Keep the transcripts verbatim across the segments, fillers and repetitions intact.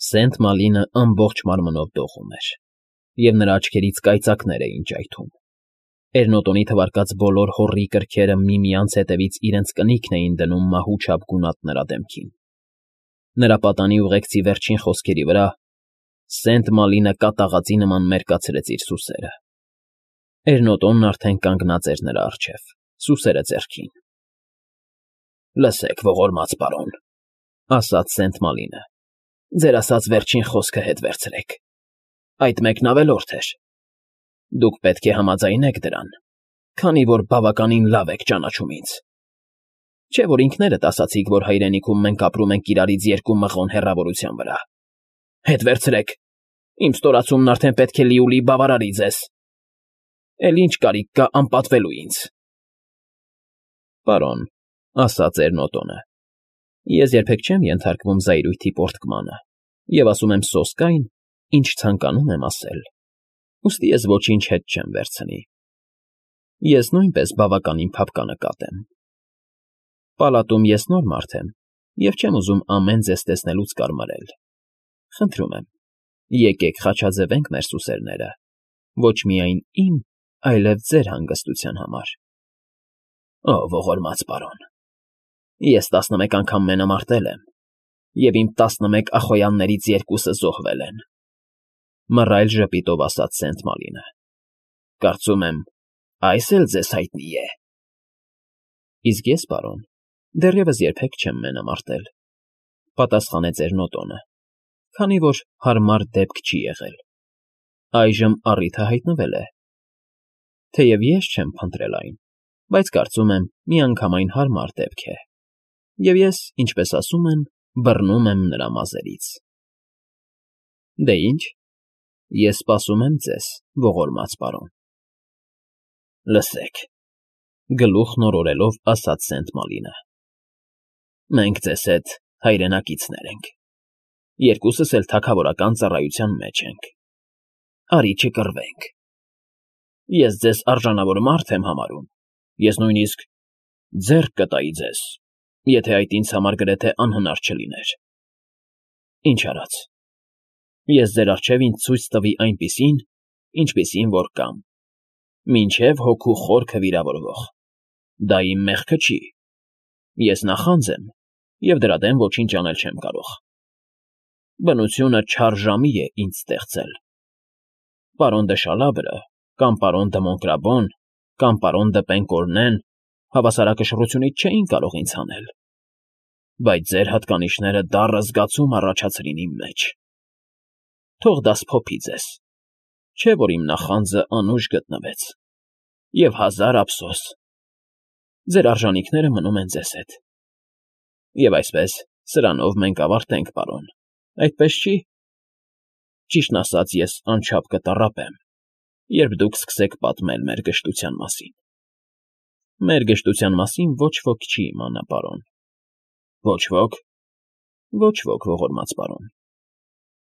Սենտ Մալինը ամբողջ մարմնով դողում էր, և նրա աչքերից կայծակներ էին ճայթում. Էրնոտոնի թվարկած բոլոր հոռի կրքերը միմյանց հետևից իրենց կնիքն էին դնում մահու չափ գունատ նրա դեմքին. նրա պատանի ուղեկցի վերջին խոսքերի վրա Սենտ Մալինը կատաղածի նման մերկացրեց իր սուսերը. Էրնոտոնն արդեն կանգնած էր նրա առջև, սուսերը ձեռքին։ ֊ Լսեք, ողորմած պարոն,֊ ասաց Սենտ Մալինը,֊ ձեր ասած վերջին խոսքը հետ վերցրեք. այդ մեկն ավելորդ էր. դուք պետք է համաձայնեք դրան, քանի որ բավականին լավ եք ճանաչում ինձ։ Չէ՞ որ ինքներդ ասացիք, որ հայրենիքում մենք ապրում ենք իրարից երկու մղոն հեռավորության վրա։ Հետ վերցրեք, իմ ստորացումն արդեն պետք է լիուլի բավարարի ձեզ։ Էլ ինչ կարիք կա անպատվելու ինձ։ Պարոն,֊ ասաց Էրնոտոնը,֊ ես երբեք չեմ ենթարկվում զայրույթի պոռթկմանը և ասում եմ սոսկ այն, ինչ ցանկանում եմ ասել, ուստի ես ոչինչ հետ չեմ վերցնի։ Ես նույնպես բավականին փափկանկատ եմ։ Պալատում ես նոր մարդ եմ և չեմ ուզում ամեն ձեզ տեսնելուց կարմարել։ Խնդրում եմ, եկեք խաչաձևենք մեր սուսերները, ոչ միայն իմ, այլև ձեր հանգստության համար։ Ո՜, ողորմած պարոն, ես տասնմեկ անգամ մենամարտել եմ, և իմ տասնմեկ ախոյաններից երկուսը զոհվել են,֊ մռայլ ժպիտով ասաց Սենտ Մալինը։֊ Կարծում եմ, այս էլ ձեզ հայտնի է։ Իսկ ես, պարոն, դեռևս երբեք չեմ մենամարտել,֊ պատասխանեց Էրնոտոնը, քանի որ հարմար դեպք չի եղել։ Այժմ առիթը հայտնվել է։ Թեև ես չեմ փնտրել այն, բայց կարծում եմ միանգամայն հարմար դեպք է, և ես, ինչպես ասում են, բռնում եմ նրա մազերից։ Դե ինչ, ես սպասում եմ ձեզ, ողորմած պարոն։ Լսեք,֊ գլուխն օրորելով ասաց Սենտ Մալինը,֊ մենք ձեզ հետ հայրենակիցներ ենք, երկուսս էլ թագավորական ծառայության մեջ ենք, արի չկռվենք։ Ես ձեզ արժանավոր մարդ եմ համարում, ես նույնիսկ ձեռք կտայի ձեզ, եթե այդ ինձ համար գրեթե անհնար չլիներ։ Ինչ արած, ես ձեր առջև ինձ ցույց տվի այնպիսին, ինչպիսին որ կամ, մինչև հոգու խորքը վիրավորվող, դա իմ մեղքը չի, ես նախանձ եմ և դրա դեմ ոչինչ անել չեմ կարող։ Բնությունը չար ժամի է ինձ ստեղծել։ Պարոն դը Շալաբրը, կամ պարոն դը Մոնկրաբոն, կամ պարոն դը Պենկորնեն հավասարակշռությունից չէին կարող ինձ հանել, բայց ձեր հատկանիշները դառը զգացում առաջացրին իմ մեջ։ Թող դա սփոփի ձեզ, չէ՞ որ իմ նախանձը անուշ գտնվեց, և հազար ափսոս, ձեր արժանիքները մնում են ձեզ հետ։ Եվ այսպես, սրանով մենք ավարտենք, պարոն, այդպես չի։ Ճիշտն ասած, ես անչափ կտառապեմ, երբ դուք սկսեք պատմել մեր գժտության մասին։ Մեր գժտության մասին ոչ ոք չի իմանա, պարոն։ Ոչ ոք։ Ոչ ոք, ողորմած պարոն։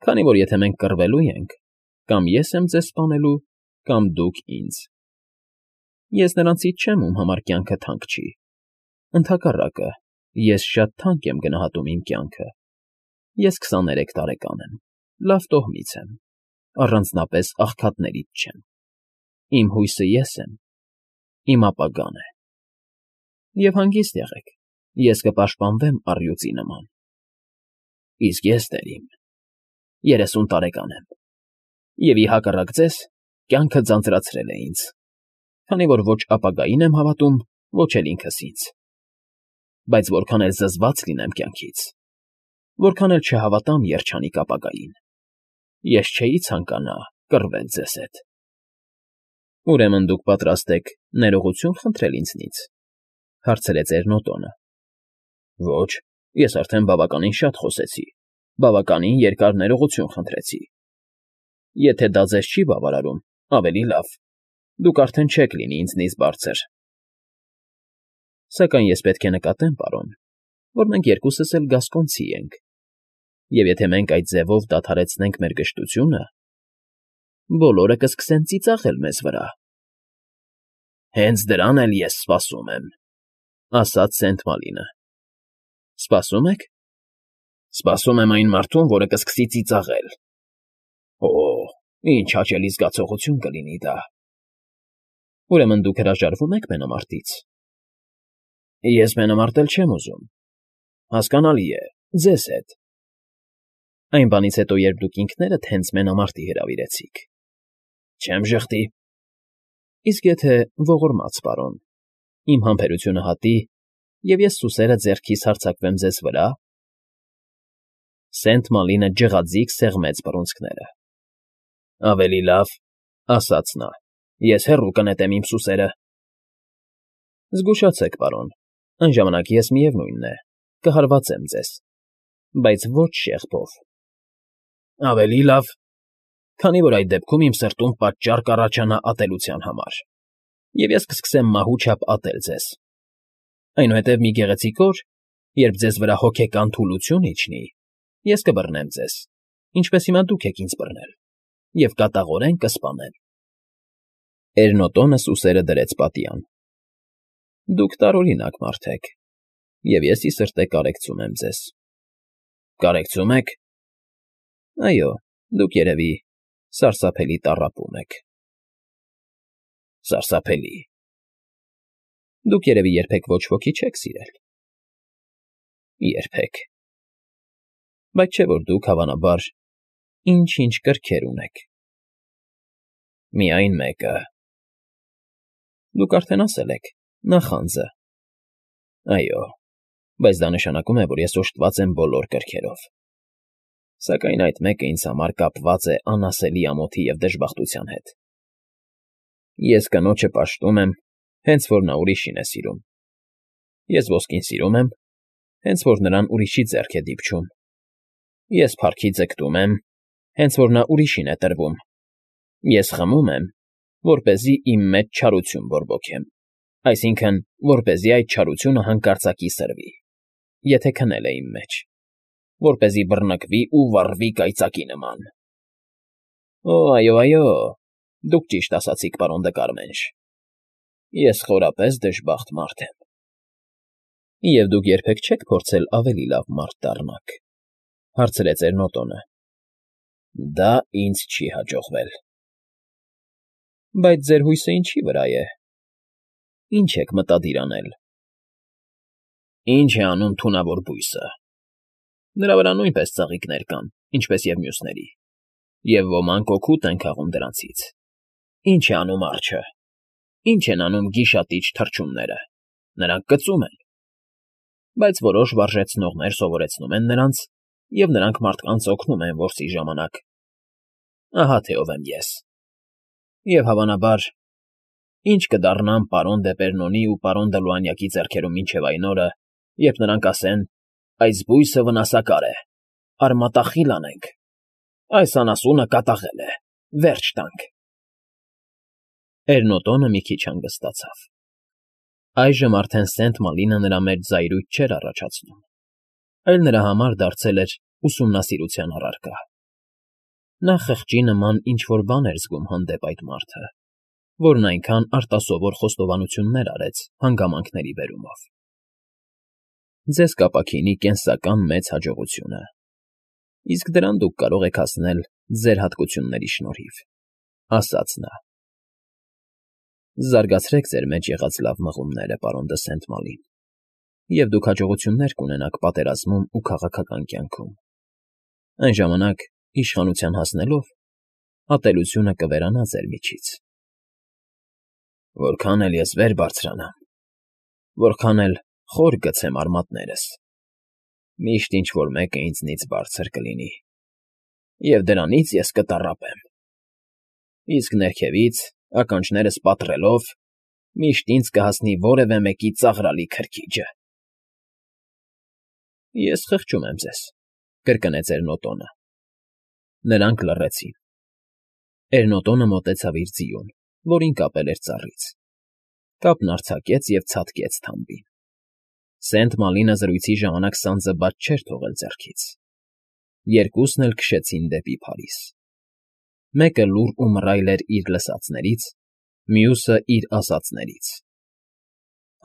Քանի որ եթե մենք կռվելու ենք, կամ ես եմ ձեզ սպանելու, կամ դուք ինձ։ Ես նրանցից չեմ, ում համար կյանքը թանկ չի։ Ընդհակառակը, ես շատ թանկ եմ գնահատում իմ կյանքը։ Ես քսաներեք տարեկան եմ, լավ տոհմից եմ, առանձնապես աղքատներից չեմ։ Իմ հույսը ես եմ, իմ ապագան է։ Եվ հանգիստ եղեք, ես կպաշտպանվեմ առյուծի նման։ Իսկ ես, տեր իմ, երեսուն տարեկան եմ, և ի հակառակ ձեզ, կյանքը ձանձրացրել է ինձ, քանի որ ոչ ապագային եմ հավատում, ոչ էլ ինքս ինձ։ Բայց որքան էլ զզված լինեմ կյանքից, որքան էլ չհավատամ երջանիկ ապագային, ես չէի ցանկանա կռվել ձեզ հետ։ Ուրեմն դուք պատրաստ եք ներողություն խնդրել ինձնից,֊ հարցրեց Էրնոտոնը։ Ոչ, ես արդեն բավականին շատ խոսեցի, բավականին երկար ներողություն խնդրեցի։ Եթե դա ձեզ չի բավարարում, ավելի լավ, դուք արդեն չեք լինի ինձնից բարձր։ Սակայն ես պետք է նկատեմ, պարոն, որ մենք երկուսս էլ գասկոնցի ենք, և եթե մենք այդ ձևով դադարեցնենք մեր գժտությունը, բոլորը կսկսեն ծիծաղել մեզ վրա։ Հենց դրան էլ ես սպասում եմ,֊ ասաց Սենտ Մալինը։ Սպասո՞ւմ եք։ Սպասում եմ այն մարդուն, որը կսկսի ծիծաղել։ Օ, ինչ հաճելի զգացողություն կլինի դա։ Ուրեմն դուք հրաժարվում եք մենամարտից։ Ես մենամարտել չեմ ուզում։ Հասկանալի է, ձեզ հետ։ Այն բանից հետո, երբ դուք ինքներդ հենց մենամարտի հրավիրեցիք։ Չեմ ժխտի։ Իսկ եթե ողորմած պարոն, իմ համբերությունը հատի, և ես սուսերը ձեռքիս հարձակվեմ ձեզ վրա… Սենթ Մալինը ջղաձիգ սեղմեց բռունցքները։ Ավելի լավ, ասաց նա, ես հեռու կնետեմ իմ սուսերը։ Զգուշացեք, պարոն, այն ժամանակ ես, միևնույն է, կհարվածեմ ձեզ, բայց ոչ շեղբով։ Ավելի լավ, քանի որ այդ դեպքում իմ սրտում պատճառ կառաջանա ատելության համար, և ես կսկսեմ մահու չափ ատել ձեզ։ Այնուհետև մի գեղեցիկ օր, երբ ձեզ վրա հոգեկան թուլություն իջնի, ես կբռնեմ ձեզ, ինչպես հիմա դուք եք ինձ բռնել, և կատաղորեն կսպանեմ։ Էրնոտոնը սուսերը դրեց պատյան։ Դուք տարօրինակ մարդ եք, և ես ի սրտե կարեկցում եմ ձեզ։ Կարեկցում եք… Այո, դուք, երևի, սարսափելի տառապում եք։ Սարսափելի… Դուք, երևի, երբեք ոչ ոքի չեք սիրել։ Երբեք… Բայց չէ՞ որ դուք, հավանաբար, ինչ֊ինչ կրքեր ունեք։ Միայն մեկը… Դուք արդեն ասել եք՝ նախանձը։ Այո, բայց դա նշանակում է, որ ես օժտված եմ բոլոր կրքերով։ Սակայն այդ մեկը ինձ համար կապված է անասելի ամոթի և դժբախտության հետ։ Ես կնոջը պաշտում եմ, հենց որ նա ուրիշին է սիրում։ Ես ոսկին սիրում եմ, հենց որ նրան ուրիշի ձեռք է դիպչում։ Ես փառքի ձգտում եմ, հենց որ նա ուրիշին է տրվում։ Ես խմում եմ, որպեսզի իմ մեջ չարություն բորբոքեմ, այսինքն՝ որպեսզի այդ չարությունը հանկարծակի սրվի, եթե քնել է իմ մեջ, որպեսզի բռնկվի ու վառվի կայծակի նման։ Օ, այո, այո, դուք ճիշտ ասացիք, պարոն Դկարմենշ, ես խորապես դժբախտ մարդ եմ։ Եվ դուք երբեք չեք փորձել ավելի լավ մարդ դառնաք, հարցրեց Էրնոտոնը։ Դա ինձ չի հաջողվել։ Բայց ձեր հույսը ինչի վրա է։ Ինչ եք մտադիր անել։ Ինչ է անում թունավոր բույսը։ Նրա վրա նույնպես ծաղիկներ կան, ինչպես և մյուսների, և ոմանք օգուտ են քաղում դրանցից։ Ինչ է անում արջը։ Ինչ են անում գիշատիչ թռչունները։ Նրանք կծում են։ Բայց որոշ վարժեցնողներ սովորեցնում են նրանց, և նրանք մարդկանց օգնում են որսի ժամանակ։ Ահա թե ով եմ ես։ Եվ հավանաբար, ինչ կդառնամ պարոն Դեպերնոնի ու պարոն Դլուանյակի ձեռքերում մինչև այն օրը, երբ նրանք ասեն. «Այս բույսը վնասակար է, արմատախիլ անենք, այս անասունը կատաղել է, վերջ տանք»։ Էրնոտոնը մի քիչ հանգստացավ։ Այժմ արդեն Սենթ Մալինը նրա մեջ զայրույթ չէր առաջացնում, այլ նրա համար դարձել էր ուսումնասիրության առարկա։ Նա խղճի նման ինչ֊որ բան էր զգում հանդեպ այդ մարդը, որն այնքան արտասովոր խոստովանություններ արեց հանգամանքների բերումով։ Ձեզ կապաքինի կենսական մեծ հաջողությունը, իսկ դրան դուք կարող եք հասնել ձեր հատկությունների շնորհիվ, ասաց նա։ Զարգացրեք ձեր մեջ եղած լավ մղումները, պարոն դը Սենթ Մալին, և դուք հաջողություններ կունենաք պատերազմում ու քաղաքական կյանքում։ Այն ժամանակ, իշխանության հասնելով, ատելությունը կվերանա ձեր միջից։ Որքան էլ ես վեր բարձրանամ, որքան էլ խոր գցեմ արմատներս, միշտ ինչ֊որ մեկը ինձնից բարձր կլինի, և դրանից ես կտառապեմ։ Իսկ ներքևից, ականջներս պատռելով, միշտ ինձ կհասնի որևէ մեկի ծաղրալի քրքիջը։ Ես խղճում եմ ձեզ, կրկնեց Էրնոտոնը։ Նրանք լռեցին։ Էրնոտոնը մոտեցավ իր ձիուն, որին կապել էր ծառից։ Կապն արձակեց և ցատկեց թամբին։ Սենթ Մալինը զրույցի ժամանակ սանձը բաց չէր թողել ձեռքից։ Երկուսն էլ քշեցին դեպի Փարիզ։ Մեկը լուռ ու մռայլ էր իր լսածներից, մյուսը՝ իր ասածներից։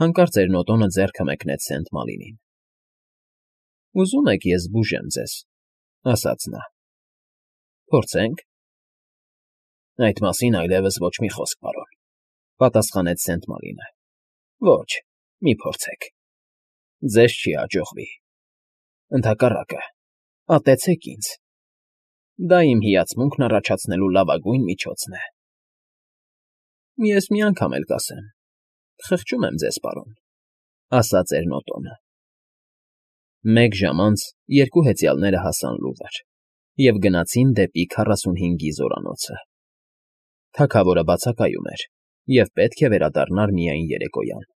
Հանկարծ Էրնոտոնը ձեռքը մեկնեց Սենթ Մալինին։ Ուզում եք ես զբուժեմ ձեզ, ֊ ասաց նա։ ֊ Փորձենք։ ֊ Այդ մասին այլևս ոչ մի խոսք, պարոն, ֊ պատասխանեց Սենտմորինը։ ֊ Ոչ, մի փորձեք, ձեզ չի հաջողվի, ընդհակառակը, ատեցեք ինձ, դա իմ հիացմունքն առաջացնելու լավագույն միջոցն է։ ֊ Ես մի անգամ էլ կասեմ, խղճում եմ ձեզ, պարոն, ֊ ասաց Էրնոտոնը։ Մեկ ժամ անց երկու հեծյալները հասան լուվր և գնացին դեպի քառասունհինգի զորանոցը. թագավորը բացակայում էր և պետք է վերադառնար միայն երեկոյան։